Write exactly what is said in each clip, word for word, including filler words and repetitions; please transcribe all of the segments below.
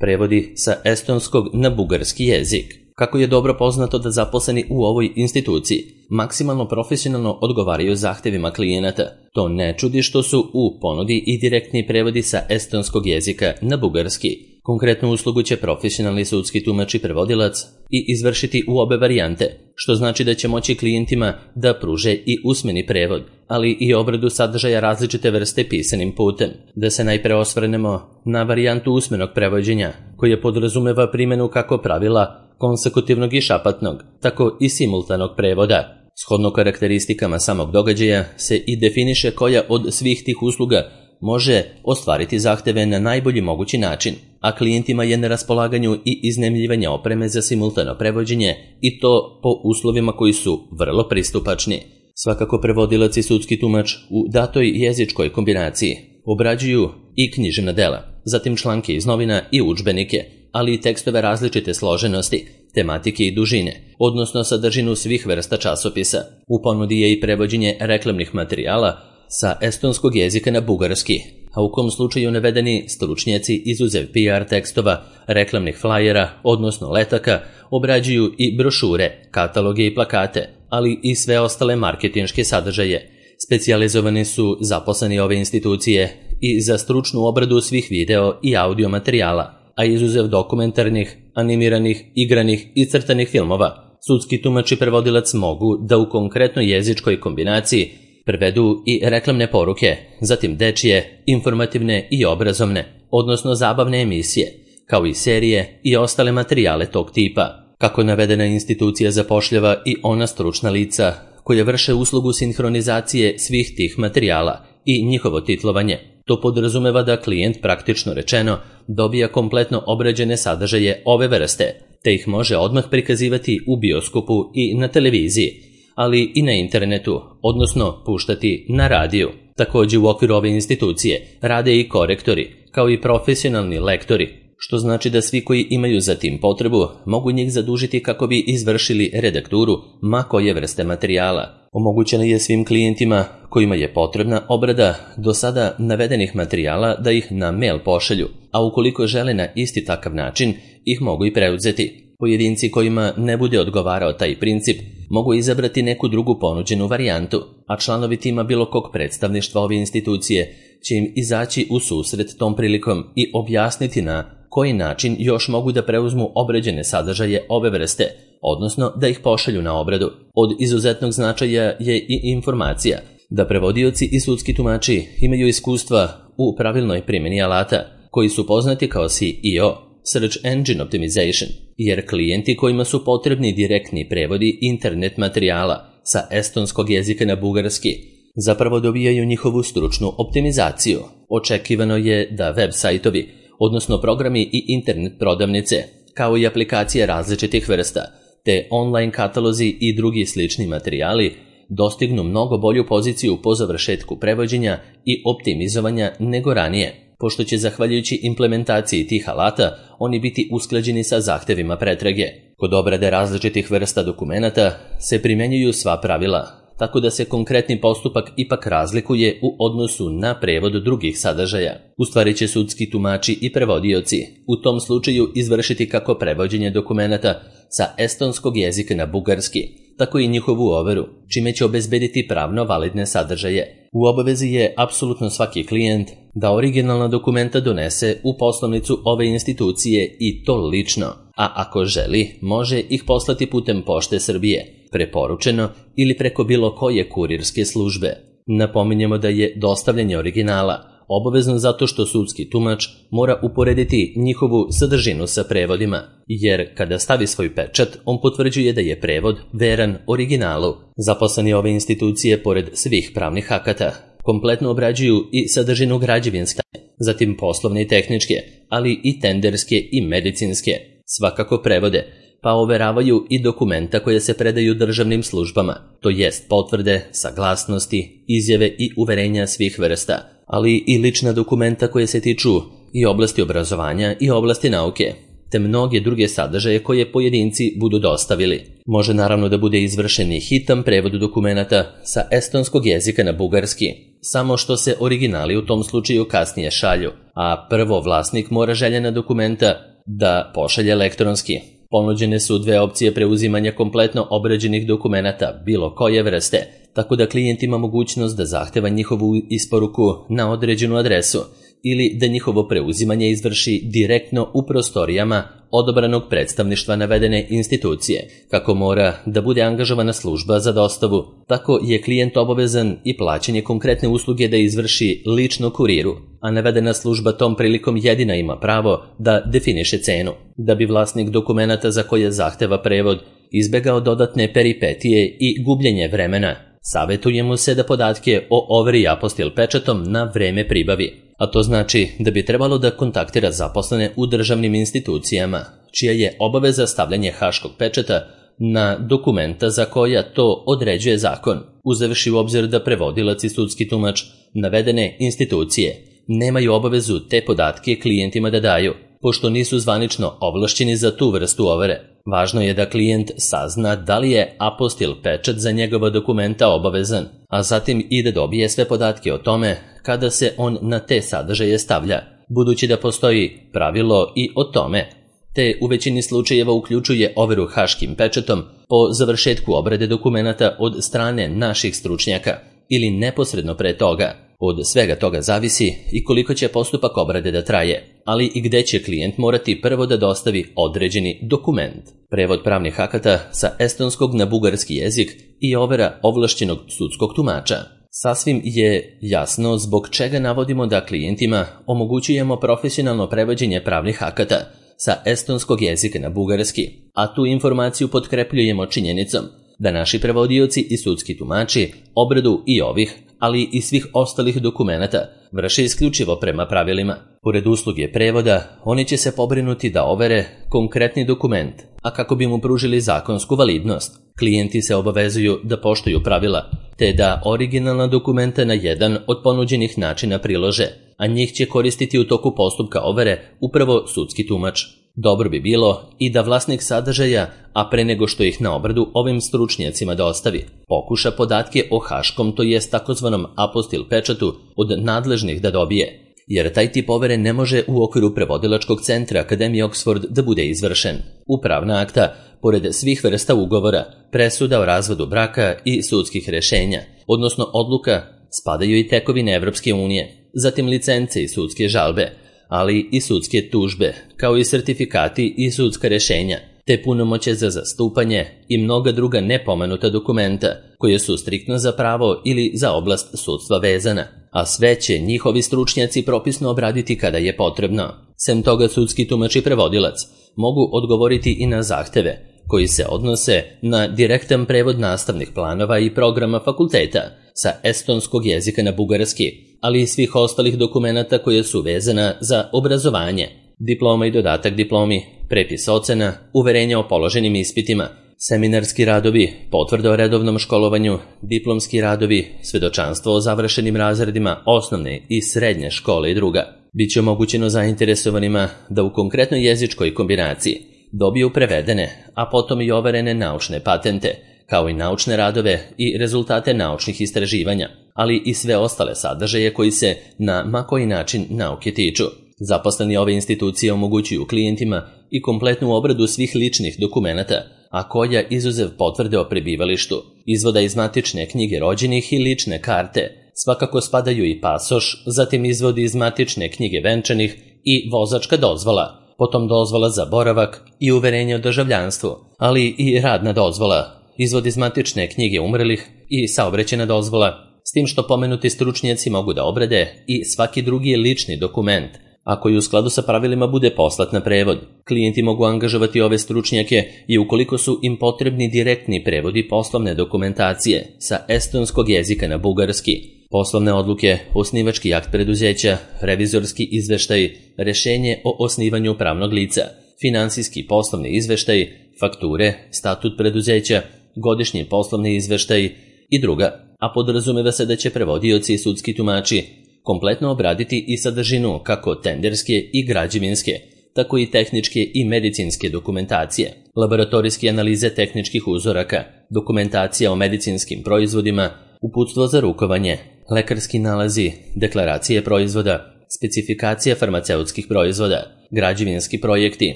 Prevodi sa estonskog na bugarski jezik. Kako je dobro poznato da zaposleni u ovoj instituciji maksimalno profesionalno odgovaraju zahtevima klijenata, to ne čudi što su u ponudi i direktni prevodi sa estonskog jezika na bugarski. Konkretnu uslugu će profesionalni sudski tumač i prevodilac i izvršiti u obe varijante, što znači da će moći klijentima da pruže i usmeni prevod, ali i obradu sadržaja različite vrste pisanim putem. Da se najpre osvrnemo na varijantu usmenog prevođenja, koja podrazumeva primjenu kako pravila konsekutivnog i šapatnog, tako i simultanog prevoda. Shodno karakteristikama samog događaja se i definiše koja od svih tih usluga može ostvariti zahteve na najbolji mogući način, a klijentima je na raspolaganju i iznajmljivanje opreme za simultano prevođenje i to po uslovima koji su vrlo pristupačni. Svakako prevodilac i sudski tumač u datoj jezičkoj kombinaciji obrađuju i književna dela, zatim članke iz novina i udžbenike, ali i tekstove različite složenosti, tematike i dužine, odnosno sadržinu svih vrsta časopisa. U ponudi je i prevođenje reklamnih materijala sa estonskog jezika na bugarski, a u kom slučaju navedeni stručnjaci izuzev P R tekstova, reklamnih flajera, odnosno letaka, obrađuju i brošure, kataloge i plakate, ali i sve ostale marketinške sadržaje. Specijalizovani su zaposleni ove institucije i za stručnu obradu svih video i audio materijala, a izuzev dokumentarnih, animiranih, igranih i crtanih filmova, sudski tumač i prevodilac mogu da u konkretnoj jezičkoj kombinaciji prevedu i reklamne poruke, zatim dečije, informativne i obrazovne, odnosno zabavne emisije, kao i serije i ostale materijale tog tipa. Kako navedena institucija zapošljava i ona stručna lica koja vrše uslugu sinhronizacije svih tih materijala i njihovo titlovanje, to podrazumeva da klijent praktično rečeno dobija kompletno obrađene sadržaje ove vrste, te ih može odmah prikazivati u bioskopu i na televiziji, ali i na internetu, odnosno puštati na radiju. Također u okviru ove institucije rade i korektori, kao i profesionalni lektori, što znači da svi koji imaju za tim potrebu mogu njih zadužiti kako bi izvršili redakturu ma koje vrste materijala. Omogućeno je svim klijentima kojima je potrebna obrada do sada navedenih materijala da ih na mail pošalju, a ukoliko žele na isti takav način, ih mogu i preuzeti. Pojedinci kojima ne bude odgovarao taj princip mogu izabrati neku drugu ponuđenu varijantu, a članovi tima bilo kog predstavništva ove institucije će im izaći u susret tom prilikom i objasniti na koji način još mogu da preuzmu obrađene sadržaje ove vrste, odnosno da ih pošalju na obradu. Od izuzetnog značaja je i informacija da prevodioci i sudski tumači imaju iskustva u pravilnoj primjeni alata, koji su poznati kao S E O, Search Engine Optimization, jer klijenti kojima su potrebni direktni prevodi internet materijala sa estonskog jezika na bugarski zapravo dobijaju njihovu stručnu optimizaciju. Očekivano je da web sajtovi, odnosno programi i internet prodavnice, kao i aplikacije različitih vrsta, te online katalozi i drugi slični materijali dostignu mnogo bolju poziciju po završetku prevođenja i optimizovanja nego ranije, pošto će zahvaljujući implementaciji tih alata oni biti usklađeni sa zahtevima pretrage. Kod obrade različitih vrsta dokumenata se primjenjuju sva pravila, tako da se konkretni postupak ipak razlikuje u odnosu na prevod drugih sadržaja. U stvari će sudski tumači i prevodioci u tom slučaju izvršiti kako prevođenje dokumenata sa estonskog jezika na bugarski, tako i njihovu overu, čime će obezbediti pravno validne sadržaje. U obavezi je apsolutno svaki klijent da originalna dokumenta donese u poslovnicu ove institucije i to lično, a ako želi, može ih poslati putem Pošte Srbije, preporučeno ili preko bilo koje kurirske službe. Napominjemo da je dostavljanje originala obavezno zato što sudski tumač mora uporediti njihovu sadržinu sa prevodima, jer kada stavi svoj pečat, on potvrđuje da je prevod veran originalu. Zaposleni ove institucije, pored svih pravnih akata, kompletno obrađuju i sadržinu građevinske, zatim poslovne i tehničke, ali i tenderske i medicinske. Svakako prevode, pa overavaju i dokumenta koje se predaju državnim službama, to jest potvrde, saglasnosti, izjave i uverenja svih vrsta, ali i lična dokumenta koje se tiču i oblasti obrazovanja i oblasti nauke, te mnoge druge sadržaje koje pojedinci budu dostavili. Može naravno da bude izvršen i hitan prevod dokumenata sa estonskog jezika na bugarski, samo što se originali u tom slučaju kasnije šalju, a prvo vlasnik mora željena dokumenta da pošalje elektronski. Ponuđene su dve opcije preuzimanja kompletno obrađenih dokumenata bilo koje vrste, tako da klijent ima mogućnost da zahteva njihovu isporuku na određenu adresu ili da njihovo preuzimanje izvrši direktno u prostorijama odabranog predstavništva navedene institucije. Kako mora da bude angažovana služba za dostavu, tako je klijent obavezan i plaćanje konkretne usluge da izvrši lično kuriru, a navedena služba tom prilikom jedina ima pravo da definiše cenu. Da bi vlasnik dokumenata za koje zahteva prevod izbegao dodatne peripetije i gubljenje vremena, savjetuje mu se da podatke o overi apostil pečatom na vreme pribavi. A to znači da bi trebalo da kontaktira zaposlene u državnim institucijama, čija je obaveza stavljanje haškog pečata na dokumenta za koja to određuje zakon, uzevši u obzir da prevodilac i sudski tumač navedene institucije nemaju obavezu te podatke klijentima da daju, pošto nisu zvanično ovlašćeni za tu vrstu overe. Važno je da klijent sazna da li je apostil pečat za njegova dokumenta obavezan, a zatim i da dobije sve podatke o tome kada se on na te sadržaje stavlja, budući da postoji pravilo i o tome, te u većini slučajeva uključuje overu haškim pečatom po završetku obrade dokumenata od strane naših stručnjaka ili neposredno pre toga. Od svega toga zavisi i koliko će postupak obrade da traje, ali i gde će klijent morati prvo da dostavi određeni dokument. Prevod pravnih akata sa estonskog na bugarski jezik i overa ovlašćenog sudskog tumača. Sasvim je jasno zbog čega navodimo da klijentima omogućujemo profesionalno prevođenje pravnih akata sa estonskog jezika na bugarski, a tu informaciju potkrepljujemo činjenicom da naši prevodioci i sudski tumači obradu i ovih, ali i svih ostalih dokumenata vrše isključivo prema pravilima. Pored usluge prevoda, oni će se pobrinuti da overe konkretni dokument, a kako bi mu pružili zakonsku validnost, klijenti se obavezuju da poštuju pravila, te da originalna dokumenta na jedan od ponuđenih načina prilože, a njih će koristiti u toku postupka overe upravo sudski tumač. Dobro bi bilo i da vlasnik sadržaja, a pre nego što ih na obradu ovim stručnjacima dostavi, pokuša podatke o haškom, to jest takozvanom apostil pečatu, od nadležnih da dobije, jer taj tip overe ne može u okviru prevodilačkog centra Akademije Oxford da bude izvršen. Upravna akta, pored svih vrsta ugovora, presuda o razvodu braka i sudskih rešenja, odnosno odluka, spadaju i tekovine Evropske unije, zatim licence i sudske žalbe, ali i sudske tužbe, kao i sertifikati i sudska rešenja, te punomoće za zastupanje i mnoga druga nepomenuta dokumenta, koje su striktno za pravo ili za oblast sudstva vezana, a sve će njihovi stručnjaci propisno obraditi kada je potrebno. Sem toga, sudski tumač i prevodilac mogu odgovoriti i na zahteve, koji se odnose na direktan prevod nastavnih planova i programa fakulteta sa estonskog jezika na bugarski, ali i svih ostalih dokumenata koje su vezana za obrazovanje, diploma i dodatak diplomi, prepis ocena, uverenja o položenim ispitima, seminarski radovi, potvrda o redovnom školovanju, diplomski radovi, svedočanstvo o završenim razredima osnovne i srednje škole i druga. Biće omogućeno zainteresovanima da u konkretnoj jezičkoj kombinaciji dobiju prevedene, a potom i overene naučne patente, kao i naučne radove i rezultate naučnih istraživanja, ali i sve ostale sadržaje koji se na ma koji način nauke tiču. Zaposleni ove institucije omogućuju klijentima i kompletnu obradu svih ličnih dokumenata, a koja izuzev potvrde o prebivalištu, izvoda iz matične knjige rođenih i lične karte, svakako spadaju i pasoš, zatim izvodi iz matične knjige venčanih i vozačka dozvola, potom dozvola za boravak i uverenje o državljanstvu, ali i radna dozvola, izvod iz matične knjige umrlih i saobraćajna dozvola, s tim što pomenuti stručnjaci mogu da obrade i svaki drugi lični dokument, a koji u skladu sa pravilima bude poslat na prevod. Klijenti mogu angažovati ove stručnjake i ukoliko su im potrebni direktni prevodi poslovne dokumentacije sa estonskog jezika na bugarski, poslovne odluke, osnivački akt preduzeća, revizorski izveštaj, rešenje o osnivanju pravnog lica, finansijski poslovni izveštaj, fakture, statut preduzeća, godišnji poslovni izveštaj i druga, a podrazumeva se da će prevodioci i sudski tumači kompletno obraditi i sadržinu kako tenderske i građevinske, tako i tehničke i medicinske dokumentacije, laboratorijske analize tehničkih uzoraka, dokumentacija o medicinskim proizvodima, uputstvo za rukovanje, lekarski nalazi, deklaracije proizvoda, specifikacija farmaceutskih proizvoda, građevinski projekti,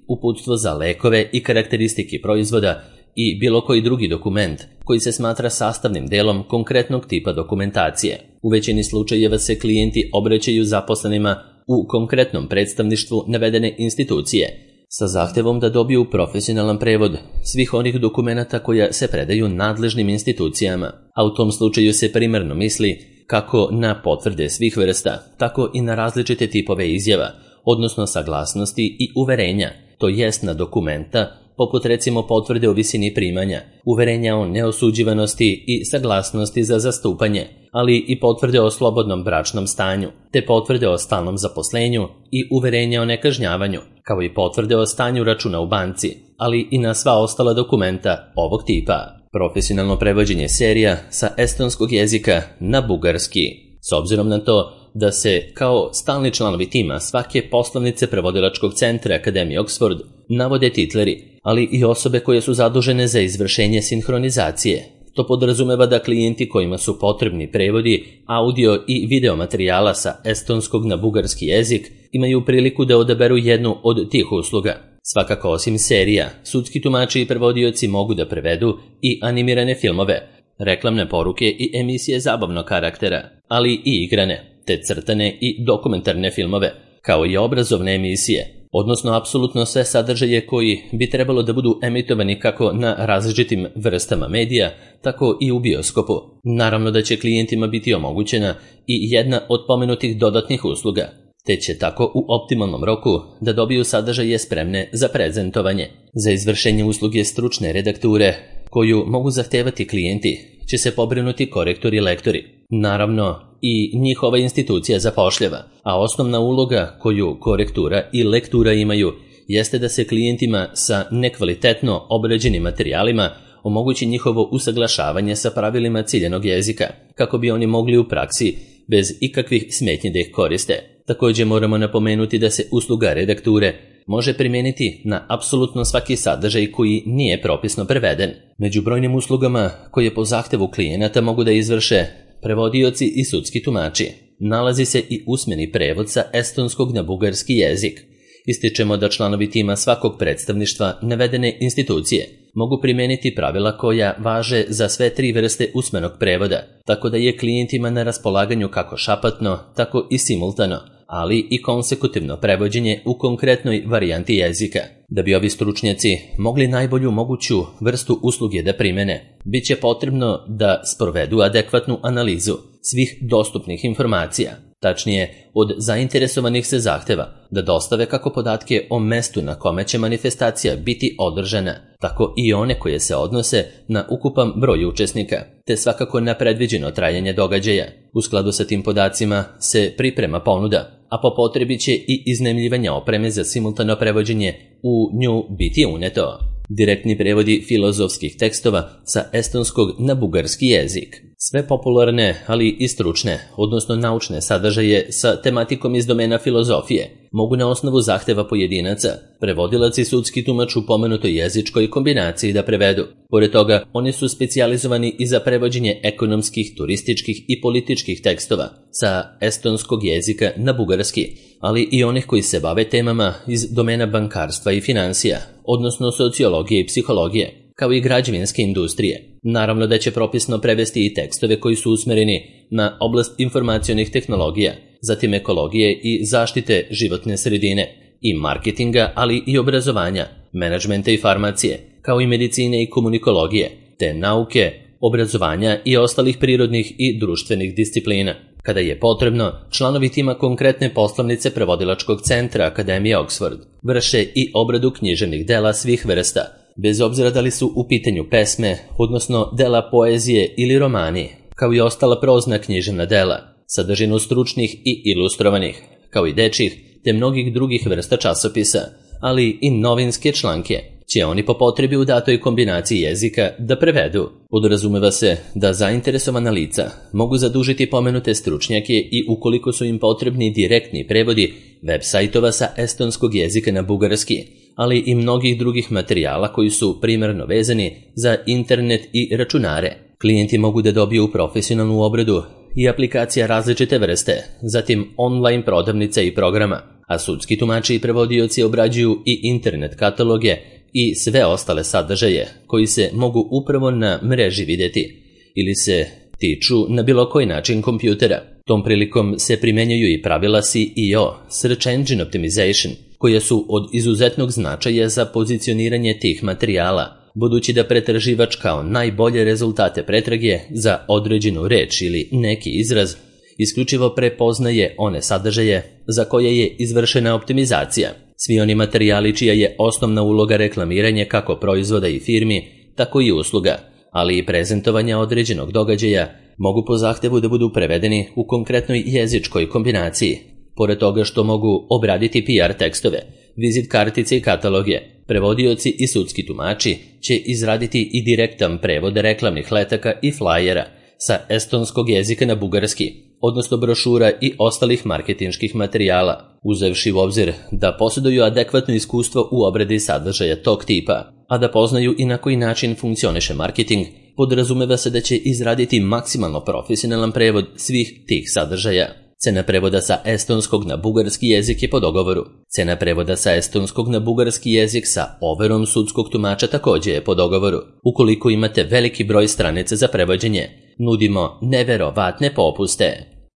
uputstvo za lekove i karakteristike proizvoda i bilo koji drugi dokument koji se smatra sastavnim delom konkretnog tipa dokumentacije. U većini slučajeva se klijenti obraćaju zaposlenima u konkretnom predstavništvu navedene institucije sa zahtevom da dobiju profesionalan prevod svih onih dokumenata koja se predaju nadležnim institucijama, a u tom slučaju se primarno misli kako na potvrde svih vrsta, tako i na različite tipove izjava, odnosno saglasnosti i uverenja, to jest na dokumenta poput recimo potvrde o visini primanja, uverenja o neosuđivanosti i saglasnosti za zastupanje, ali i potvrde o slobodnom bračnom stanju, te potvrde o stalnom zaposlenju i uverenja o nekažnjavanju, kao i potvrde o stanju računa u banci, ali i na sva ostala dokumenta ovog tipa. Profesionalno prevođenje serija sa estonskog jezika na bugarski. S obzirom na to da se kao stalni članovi tima svake poslovnice prevodilačkog centra Akademije Oxford navode titleri, ali i osobe koje su zadužene za izvršenje sinhronizacije. To podrazumeva da klijenti kojima su potrebni prevodi audio i video materijala sa estonskog na bugarski jezik imaju priliku da odaberu jednu od tih usluga. Svakako osim serija, sudski tumači i prevodioci mogu da prevedu i animirane filmove, reklamne poruke i emisije zabavnog karaktera, ali i igrane, te crtane i dokumentarne filmove, kao i obrazovne emisije, odnosno apsolutno sve sadržaje koji bi trebalo da budu emitovani kako na različitim vrstama medija, tako i u bioskopu. Naravno da će klijentima biti omogućena i jedna od pomenutih dodatnih usluga, te će tako u optimalnom roku da dobiju sadržaje spremne za prezentovanje. Za izvršenje usluge stručne redakture, koju mogu zahtevati klijenti, će se pobrinuti korektori i lektori. Naravno, i njihova institucija zapošljava, a osnovna uloga koju korektura i lektura imaju jeste da se klijentima sa nekvalitetno obrađenim materijalima omogući njihovo usaglašavanje sa pravilima ciljanog jezika, kako bi oni mogli u praksi bez ikakvih smetnji da ih koriste. Također moramo napomenuti da se usluga redakture može primijeniti na apsolutno svaki sadržaj koji nije propisno preveden. Među brojnim uslugama koje po zahtevu klijenata mogu da izvrše prevodioci i sudski tumači nalazi se i usmeni prevod sa estonskog na bugarski jezik. Ističemo da članovi tima svakog predstavništva navedene institucije mogu primijeniti pravila koja važe za sve tri vrste usmenog prevoda, tako da je klijentima na raspolaganju kako šapatno, tako i simultano, ali i konsekutivno prevođenje u konkretnoj varijanti jezika. Da bi ovi stručnjaci mogli najbolju moguću vrstu usluge da primene, bit će potrebno da sprovedu adekvatnu analizu svih dostupnih informacija. Tačnije, od zainteresovanih se zahteva da dostave kako podatke o mestu na kome će manifestacija biti održana, tako i one koje se odnose na ukupan broj učesnika, te svakako na predviđeno trajanje događaja. U skladu sa tim podacima se priprema ponuda, a po potrebi će i iznajmljivanje opreme za simultano prevođenje u nju biti uneto. Direktni prevodi filozofskih tekstova sa estonskog na bugarski jezik. Sve popularne, ali i stručne, odnosno naučne sadržaje sa tematikom iz domena filozofije mogu na osnovu zahteva pojedinaca, prevodilac i sudski tumač u pomenutoj jezičkoj kombinaciji da prevedu. Pored toga, oni su specijalizovani i za prevođenje ekonomskih, turističkih i političkih tekstova sa estonskog jezika na bugarski, ali i onih koji se bave temama iz domena bankarstva i finansija, odnosno sociologije i psihologije, kao i građevinske industrije. Naravno da će propisno prevesti i tekstove koji su usmereni na oblast informacionih tehnologija, zatim ekologije i zaštite životne sredine, i marketinga, ali i obrazovanja, menadžmenta i farmacije, kao i medicine i komunikologije, te nauke, obrazovanja i ostalih prirodnih i društvenih disciplina. Kada je potrebno, članovi tima konkretne poslovnice prevodilačkog centra Akademije Oxford vrše i obradu književnih dela svih vrsta, bez obzira da li su u pitanju pesme, odnosno dela poezije ili romani, kao i ostala prozna književna dela, sadržinu stručnih i ilustrovanih, kao i dečjih, te mnogih drugih vrsta časopisa, ali i novinske članke, će oni po potrebi u datoj kombinaciji jezika da prevedu. Podrazumeva se da zainteresovana lica mogu zadužiti pomenute stručnjake i ukoliko su im potrebni direktni prevodi web sajtova sa estonskog jezika na bugarski, ali i mnogih drugih materijala koji su primarno vezani za internet i računare. Klijenti mogu da dobiju profesionalnu obradu i aplikacija različite vrste, zatim online prodavnica i programa, a sudski tumači i prevodioci obrađuju i internet kataloge i sve ostale sadržaje koji se mogu upravo na mreži vidjeti ili se tiču na bilo koji način kompjutera. Tom prilikom se primjenjuju i pravila S E O, Search Engine Optimization, koje su od izuzetnog značaja za pozicioniranje tih materijala, budući da pretraživač kao najbolje rezultate pretrage za određenu reč ili neki izraz isključivo prepoznaje one sadržaje za koje je izvršena optimizacija. Svi oni materijali čija je osnovna uloga reklamiranje kako proizvoda i firmi, tako i usluga, ali i prezentovanja određenog događaja, mogu po zahtevu da budu prevedeni u konkretnoj jezičkoj kombinaciji. Pored toga što mogu obraditi P R tekstove, vizit kartice i kataloge, prevodioci i sudski tumači će izraditi i direktan prevod reklamnih letaka i flajera sa estonskog jezika na bugarski, odnosno brošura i ostalih marketinških materijala, uzevši u obzir da posjeduju adekvatno iskustvo u obradi sadržaja tog tipa, a da poznaju i na koji način funkcioniše marketing, podrazumeva se da će izraditi maksimalno profesionalan prevod svih tih sadržaja. Cena prevoda sa estonskog na bugarski jezik je po dogovoru. Cena prevoda sa estonskog na bugarski jezik sa overom sudskog tumača također je po dogovoru. Ukoliko imate veliki broj stranica za prevođenje, nudimo neverovatne popuste.